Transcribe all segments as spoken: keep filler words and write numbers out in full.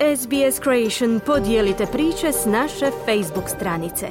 S B S Creation podijelite priče s naše Facebook stranice.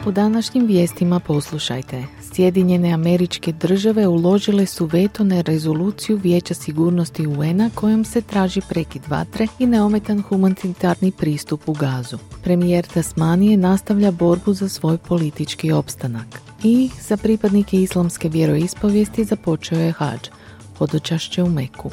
U današnjim vijestima poslušajte. Sjedinjene Američke Države uložile su veto na rezoluciju Vijeća sigurnosti U N-a kojom se traži prekid vatre i neometan humanitarni pristup u Gazu. Premijer Tasmanije nastavlja borbu za svoj politički opstanak. I za pripadnike islamske vjeroispovijesti započeo je hadž, hodočašće u Meku.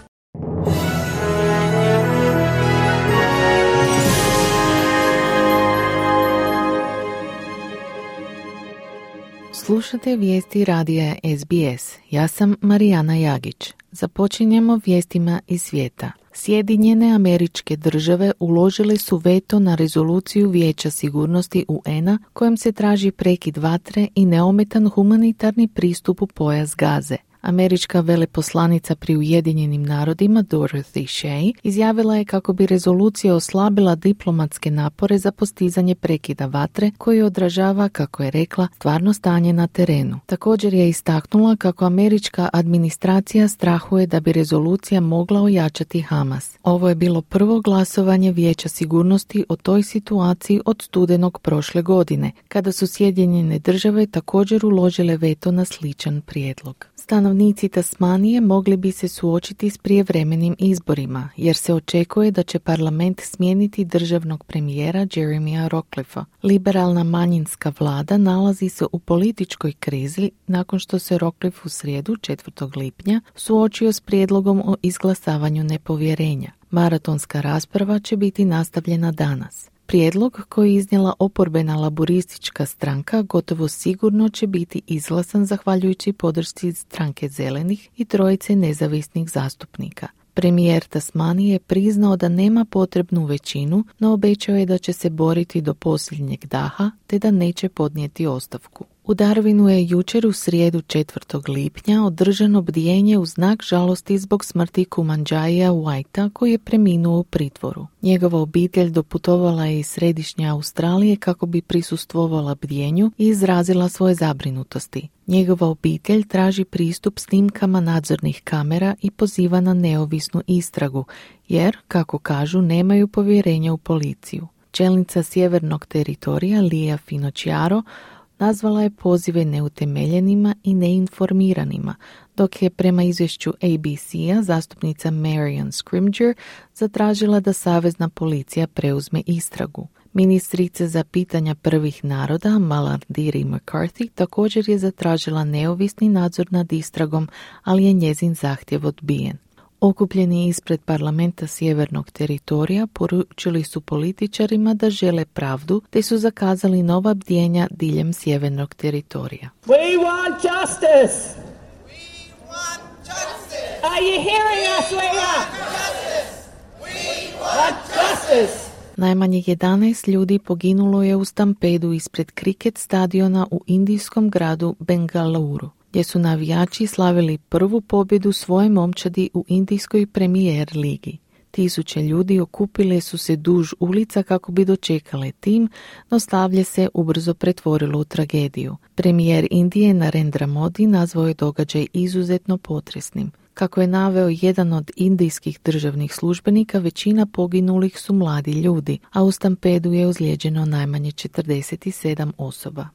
Slušate vijesti radija S B S. Ja sam Marijana Jagić. Započinjemo vijestima iz svijeta. Sjedinjene Američke Države uložile su veto na rezoluciju Vijeća sigurnosti U N-a kojom se traži prekid vatre i neometan humanitarni pristup u pojas Gaze. Američka veleposlanica pri Ujedinjenim narodima Dorothy Shea izjavila je kako bi rezolucija oslabila diplomatske napore za postizanje prekida vatre koji odražava, kako je rekla, stvarno stanje na terenu. Također je istaknula kako američka administracija strahuje da bi rezolucija mogla ojačati Hamas. Ovo je bilo prvo glasovanje Vijeća sigurnosti o toj situaciji od studenog prošle godine, kada su Sjedinjene Države također uložile veto na sličan prijedlog. Stanovnici Tasmanije mogli bi se suočiti s prijevremenim izborima, jer se očekuje da će parlament smijeniti državnog premijera Jeremya Rockliffa. Liberalna manjinska vlada nalazi se u političkoj krizi nakon što se Rockliff u srijedu četvrtog lipnja suočio s prijedlogom o izglasavanju nepovjerenja. Maratonska rasprava će biti nastavljena danas. Prijedlog koji je iznijela oporbena laburistička stranka gotovo sigurno će biti izglasan zahvaljujući podršci stranke zelenih i trojice nezavisnih zastupnika. Premijer Tasmanije je priznao da nema potrebnu većinu, no obećao je da će se boriti do posljednjeg daha te da neće podnijeti ostavku. U Darwinu je jučer u srijedu četvrtog lipnja održano bdijenje u znak žalosti zbog smrti Kumanjaia Whitea koji je preminuo u pritvoru. Njegova obitelj doputovala je iz središnje Australije kako bi prisustvovala bdijenju i izrazila svoje zabrinutosti. Njegova obitelj traži pristup snimkama nadzornih kamera i poziva na neovisnu istragu, jer, kako kažu, nemaju povjerenja u policiju. Čelnica sjevernog teritorija Lia Finocchiaro nazvala je pozive neutemeljenima i neinformiranima, dok je prema izvješću A B C-a zastupnica Marion Scrimgeour zatražila da savezna policija preuzme istragu. Ministrica za pitanja prvih naroda Malarndirri McCarthy također je zatražila neovisni nadzor nad istragom, ali je njezin zahtjev odbijen. Okupljeni ispred parlamenta sjevernog teritorija poručili su političarima da žele pravdu te su zakazali nova bdjenja diljem sjevernog teritorija. We want justice! We want justice! Are you hearing us, Leah? Justice! We Want justice! Najmanje jedanaest ljudi poginulo je u stampedu ispred kriket stadiona u indijskom gradu Bengaluru, gdje su navijači slavili prvu pobjedu svoje momčadi u indijskoj premijer ligi. Tisuće ljudi okupile su se duž ulica kako bi dočekale tim, no slavlje se ubrzo pretvorilo u tragediju. Premijer Indije Narendra Modi nazvao je događaj izuzetno potresnim. Kako je naveo jedan od indijskih državnih službenika, većina poginulih su mladi ljudi, a u stampedu je ozlijeđeno najmanje četrdeset sedam osoba.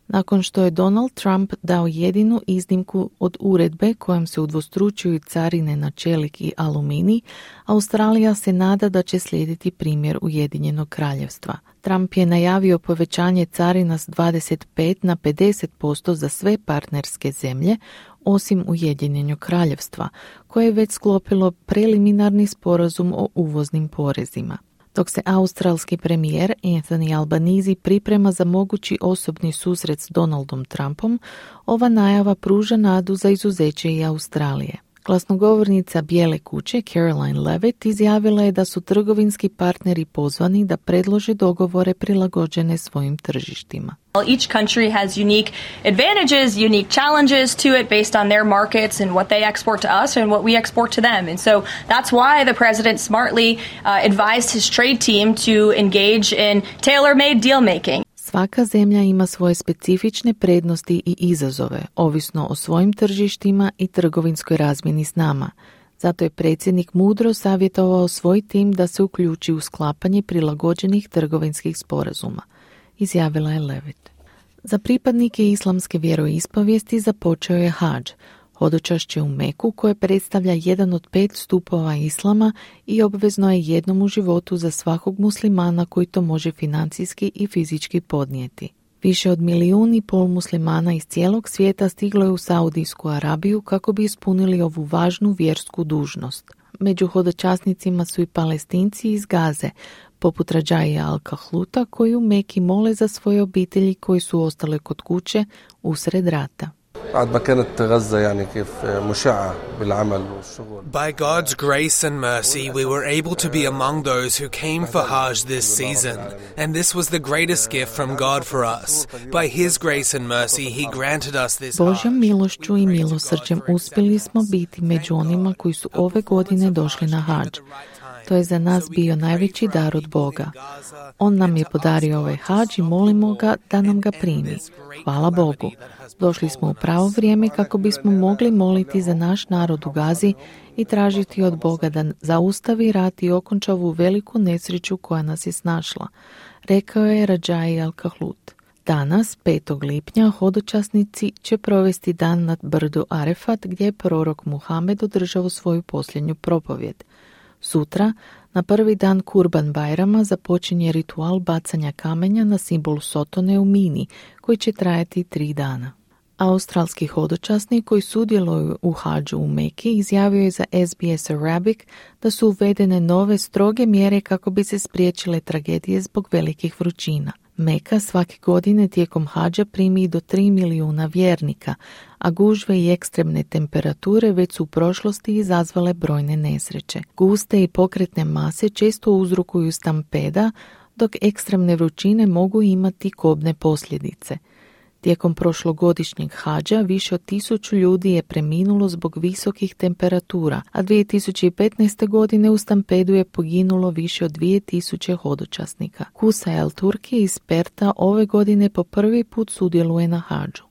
Nakon što je Donald Trump dao jedinu iznimku od uredbe kojom se udvostručuju carine na čelik i aluminij, Australija se nada da će slijediti primjer Ujedinjenog kraljevstva. Trump je najavio povećanje carina s dvadeset pet na pedeset posto za sve partnerske zemlje, osim Ujedinjenog kraljevstva, koje je već sklopilo preliminarni sporazum o uvoznim porezima. Dok se australski premijer Anthony Albanese priprema za mogući osobni susret s Donaldom Trumpom, ova najava pruža nadu za izuzeće i Australije. Glasnogovornica Bijele kuće Caroline Levitt izjavila je da su trgovinski partneri pozvani da predlože dogovore prilagođene svojim tržištima. Each country has unique advantages, unique challenges to it based on their markets and what they export to us and what we export to them. And so that's why the president smartly uh, advised his trade team to engage in tailor-made deal making. Svaka zemlja ima svoje specifične prednosti i izazove, ovisno o svojim tržištima i trgovinskoj razmjeni s nama. Zato je predsjednik mudro savjetovao svoj tim da se uključi u sklapanje prilagođenih trgovinskih sporazuma, izjavila je Levitt. Za pripadnike islamske vjeroispovijesti započeo je hadž, hodočašće u Meku koje predstavlja jedan od pet stupova islama i obvezno je jednom u životu za svakog muslimana koji to može financijski i fizički podnijeti. Više od milijun i pol muslimana iz cijelog svijeta stiglo je u Saudijsku Arabiju kako bi ispunili ovu važnu vjersku dužnost. Među hodočasnicima su i Palestinci iz Gaze, poput Radžaija Al-Kahluta, koji u Meki mole za svoje obitelji koji su ostale kod kuće usred rata. By God's grace and mercy, we were able to be among those who came for Hajj this season, and this was the greatest gift from God for us. By His grace and mercy, He granted us this Hajj. Božjom milošću i milosrđem uspjeli smo biti među onima koji su ove godine došli na hadž. To je za nas bio najveći dar od Boga. On nam je podario ovaj hadž i molimo ga da nam ga primi. Hvala Bogu. Došli smo u pravo vrijeme kako bismo mogli moliti za naš narod u Gazi i tražiti od Boga da zaustavi rat i okonča ovu veliku nesreću koja nas je snašla, rekao je Radžaj Al-Kahlut. Danas, petog lipnja, hodočasnici će provesti dan nad brdu Arefat gdje je prorok Muhamed održao svoju posljednju propovjed. Sutra, na prvi dan Kurban Bajrama, započinje ritual bacanja kamenja na simbol Sotone u Mini, koji će trajati tri dana. Australski hodočasnik koji sudjeluju u hadžu u Meki izjavio je za S B S Arabic da su uvedene nove stroge mjere kako bi se spriječile tragedije zbog velikih vrućina. Meka svake godine tijekom hadža primi do tri milijuna vjernika, a gužve i ekstremne temperature već su u prošlosti izazvale brojne nesreće. Guste i pokretne mase često uzrokuju stampeda, dok ekstremne vrućine mogu imati kobne posljedice. Tijekom prošlogodišnjeg hadža više od tisuću ljudi je preminulo zbog visokih temperatura, a dvije tisuće petnaeste. godine u stampedu je poginulo više od dvije tisuće hodočasnika. Kusa El Turki iz Perta ove godine po prvi put sudjeluje na hadžu.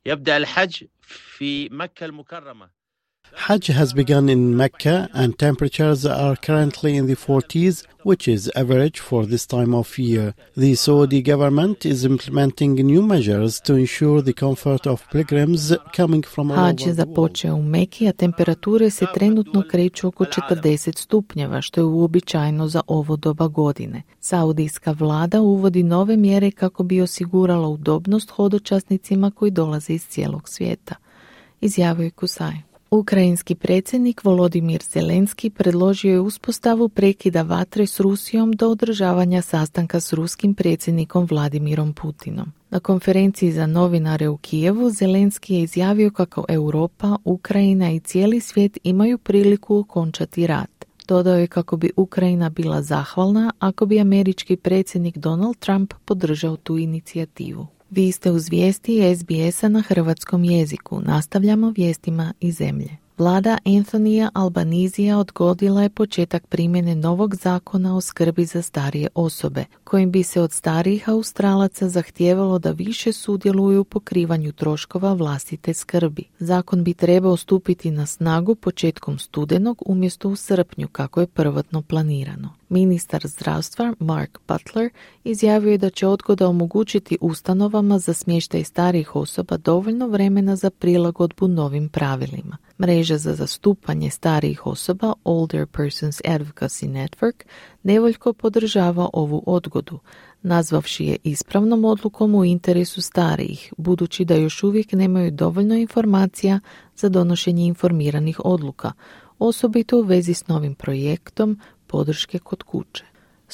Hajj has begun in Mecca and temperatures are currently in the forties, which is average for this time of year. The Saudi government is implementing new measures to ensure the comfort of pilgrims coming from all over Hadž the je world. započeo u Meki, a temperature se trenutno kreću oko četrdeset stupnjeva, što je uobičajeno za ovo doba godine. Saudijska vlada uvodi nove mjere kako bi osigurala udobnost hodočasnicima koji dolaze iz cijelog svijeta, izjavio je Kusaj. Ukrajinski predsjednik Volodimir Zelenski predložio je uspostavu prekida vatre s Rusijom do održavanja sastanka s ruskim predsjednikom Vladimirom Putinom. Na konferenciji za novinare u Kijevu Zelenski je izjavio kako Europa, Ukrajina i cijeli svijet imaju priliku okončati rat. Dodao je kako bi Ukrajina bila zahvalna ako bi američki predsjednik Donald Trump podržao tu inicijativu. Vi ste uz vijesti S B S-a na hrvatskom jeziku. Nastavljamo vijestima iz zemlje. Vlada Anthonyja Albanizija odgodila je početak primjene novog zakona o skrbi za starije osobe, kojim bi se od starijih Australaca zahtijevalo da više sudjeluju u pokrivanju troškova vlastite skrbi. Zakon bi trebao stupiti na snagu početkom studenog umjesto u srpnju, kako je prvotno planirano. Ministar zdravstva Mark Butler izjavio je da će odgoda omogućiti ustanovama za smještaj starijih osoba dovoljno vremena za prilagodbu novim pravilima. Mreža za zastupanje starijih osoba Older Persons Advocacy Network nevoljko podržava ovu odgodu, nazvavši je ispravnom odlukom u interesu starijih, budući da još uvijek nemaju dovoljno informacija za donošenje informiranih odluka, osobito u vezi s novim projektom podrške kod kuće.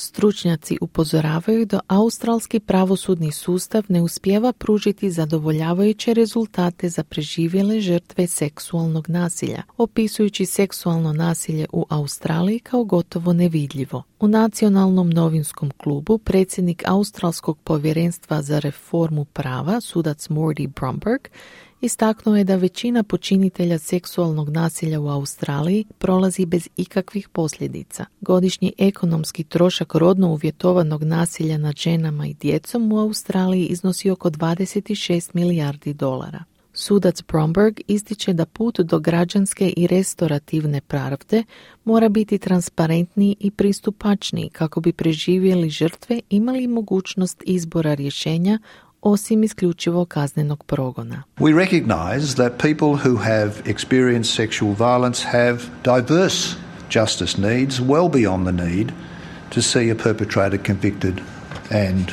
Stručnjaci upozoravaju da australski pravosudni sustav ne uspijeva pružiti zadovoljavajuće rezultate za preživjele žrtve seksualnog nasilja, opisujući seksualno nasilje u Australiji kao gotovo nevidljivo. U Nacionalnom novinskom klubu predsjednik Australskog povjerenstva za reformu prava, sudac Morty Bromberg, istaknuo je da većina počinitelja seksualnog nasilja u Australiji prolazi bez ikakvih posljedica. Godišnji ekonomski trošak rodno uvjetovanog nasilja nad ženama i djecom u Australiji iznosi oko dvadeset šest milijardi dolara. Sudac Bromberg ističe da put do građanske i restorativne pravde mora biti transparentniji i pristupačniji kako bi preživjeli žrtve imali mogućnost izbora rješenja osim isključivo kaznenog progona. We recognize that people who have experienced sexual violence have diverse justice needs well beyond the need to see a perpetrator convicted and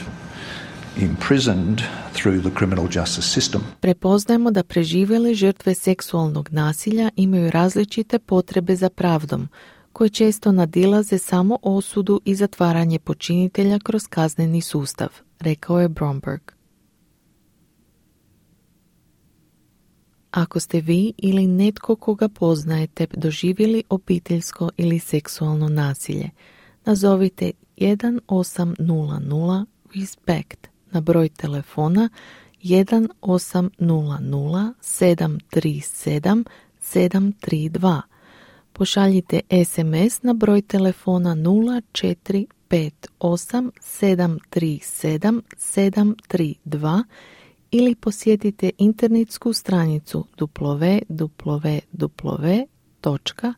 imprisoned through the criminal justice system. Prepoznajemo da preživjele žrtve seksualnog nasilja imaju različite potrebe za pravdom, koje često nadilaze samo osudu i zatvaranje počinitelja kroz kazneni sustav, rekao je Bromberg. Ako ste vi ili netko koga poznajete doživjeli obiteljsko ili seksualno nasilje, nazovite jedan osam nula nula respect na broj telefona jedan osam nula nula sedam tri sedam sedam tri dva. Pošaljite es em es na broj telefona nula četiri pet osam sedam tri sedam sedam tri dva ili posjetite internetsku stranicu w w w točka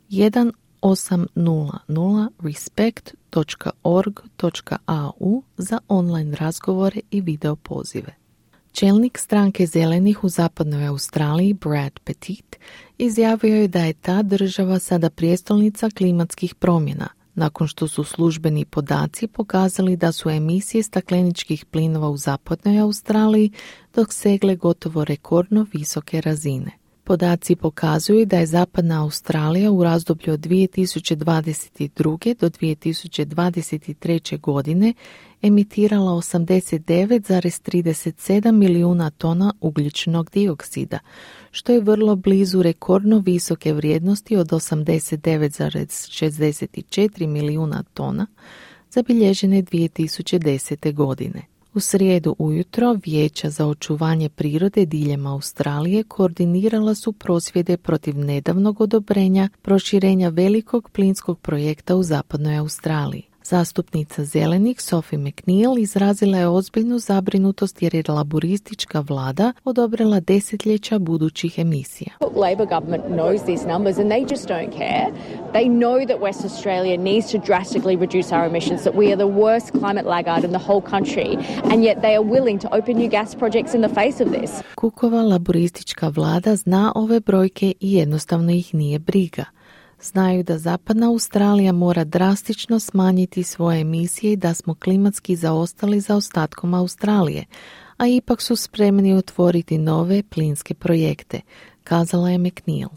jedan osam nula nula respect točka org točka a u za online razgovore i video pozive. Čelnik stranke Zelenih u zapadnoj Australiji, Brad Petit, izjavio je da je ta država sada prijestolnica klimatskih promjena, nakon što su službeni podaci pokazali da su emisije stakleničkih plinova u zapadnoj Australiji dosegle gotovo rekordno visoke razine. Podaci pokazuju da je zapadna Australija u razdoblju od dvije tisuće dvadeset druge. do dvije tisuće dvadeset treće. godine emitirala osamdeset devet zarez trideset sedam milijuna tona ugljičnog dioksida, što je vrlo blizu rekordno visoke vrijednosti od osamdeset devet zarez šezdeset četiri milijuna tona zabilježene dvije tisuće desete. godine. U srijedu ujutro Vijeća za očuvanje prirode diljem Australije koordinirala su prosvjede protiv nedavnog odobrenja proširenja velikog plinskog projekta u zapadnoj Australiji. Zastupnica Zelenih Sophie McNeil izrazila je ozbiljnu zabrinutost jer je laboristička vlada odobrila desetljeća budućih emisija. Labor government knows these numbers and they just don't care. They know that West Australia needs to drastically reduce our emissions, that we are the worst climate laggard in the whole country, and yet they are willing to open new gas projects in the face of this. Cookova laboristička vlada zna ove brojke i jednostavno ih nije briga. Znaju da zapadna Australija mora drastično smanjiti svoje emisije i da smo klimatski zaostali za ostatkom Australije, a ipak su spremni otvoriti nove plinske projekte, kazala je McNeil.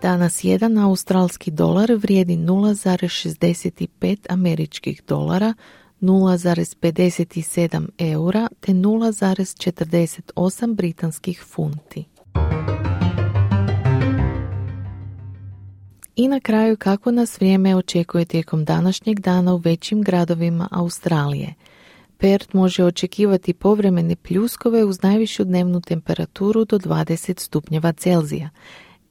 Danas jedan australski dolar vrijedi nula zarez šezdeset pet američkih dolara, nula zarez pedeset sedam eura te nula zarez četrdeset osam britanskih funti. I na kraju kako nas vrijeme očekuje tijekom današnjeg dana u većim gradovima Australije. Perth može očekivati povremene pljuskove uz najvišu dnevnu temperaturu do dvadeset stupnjeva Celzija.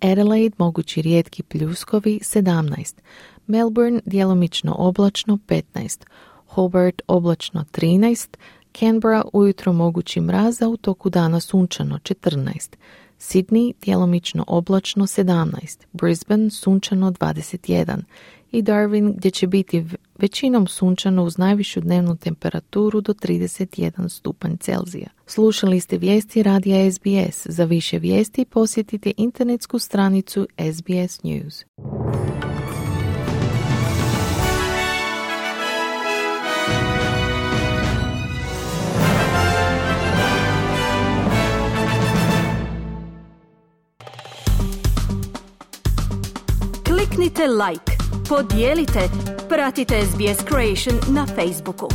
Adelaide mogući rijetki pljuskovi sedamnaest. Melbourne djelomično oblačno petnaest. Hobart oblačno trinaest, Canberra ujutro mogući mraz, a u toku dana sunčano četrnaest, Sydney djelomično oblačno sedamnaest, Brisbane sunčano dvadeset jedan i Darwin gdje će biti većinom sunčano uz najvišu dnevnu temperaturu do trideset jedan stupanj Celzija. Slušali ste vijesti radija es bi es. Za više vijesti posjetite internetsku stranicu S B S News. Kliknite like, podijelite, pratite S B S Creation na Facebooku.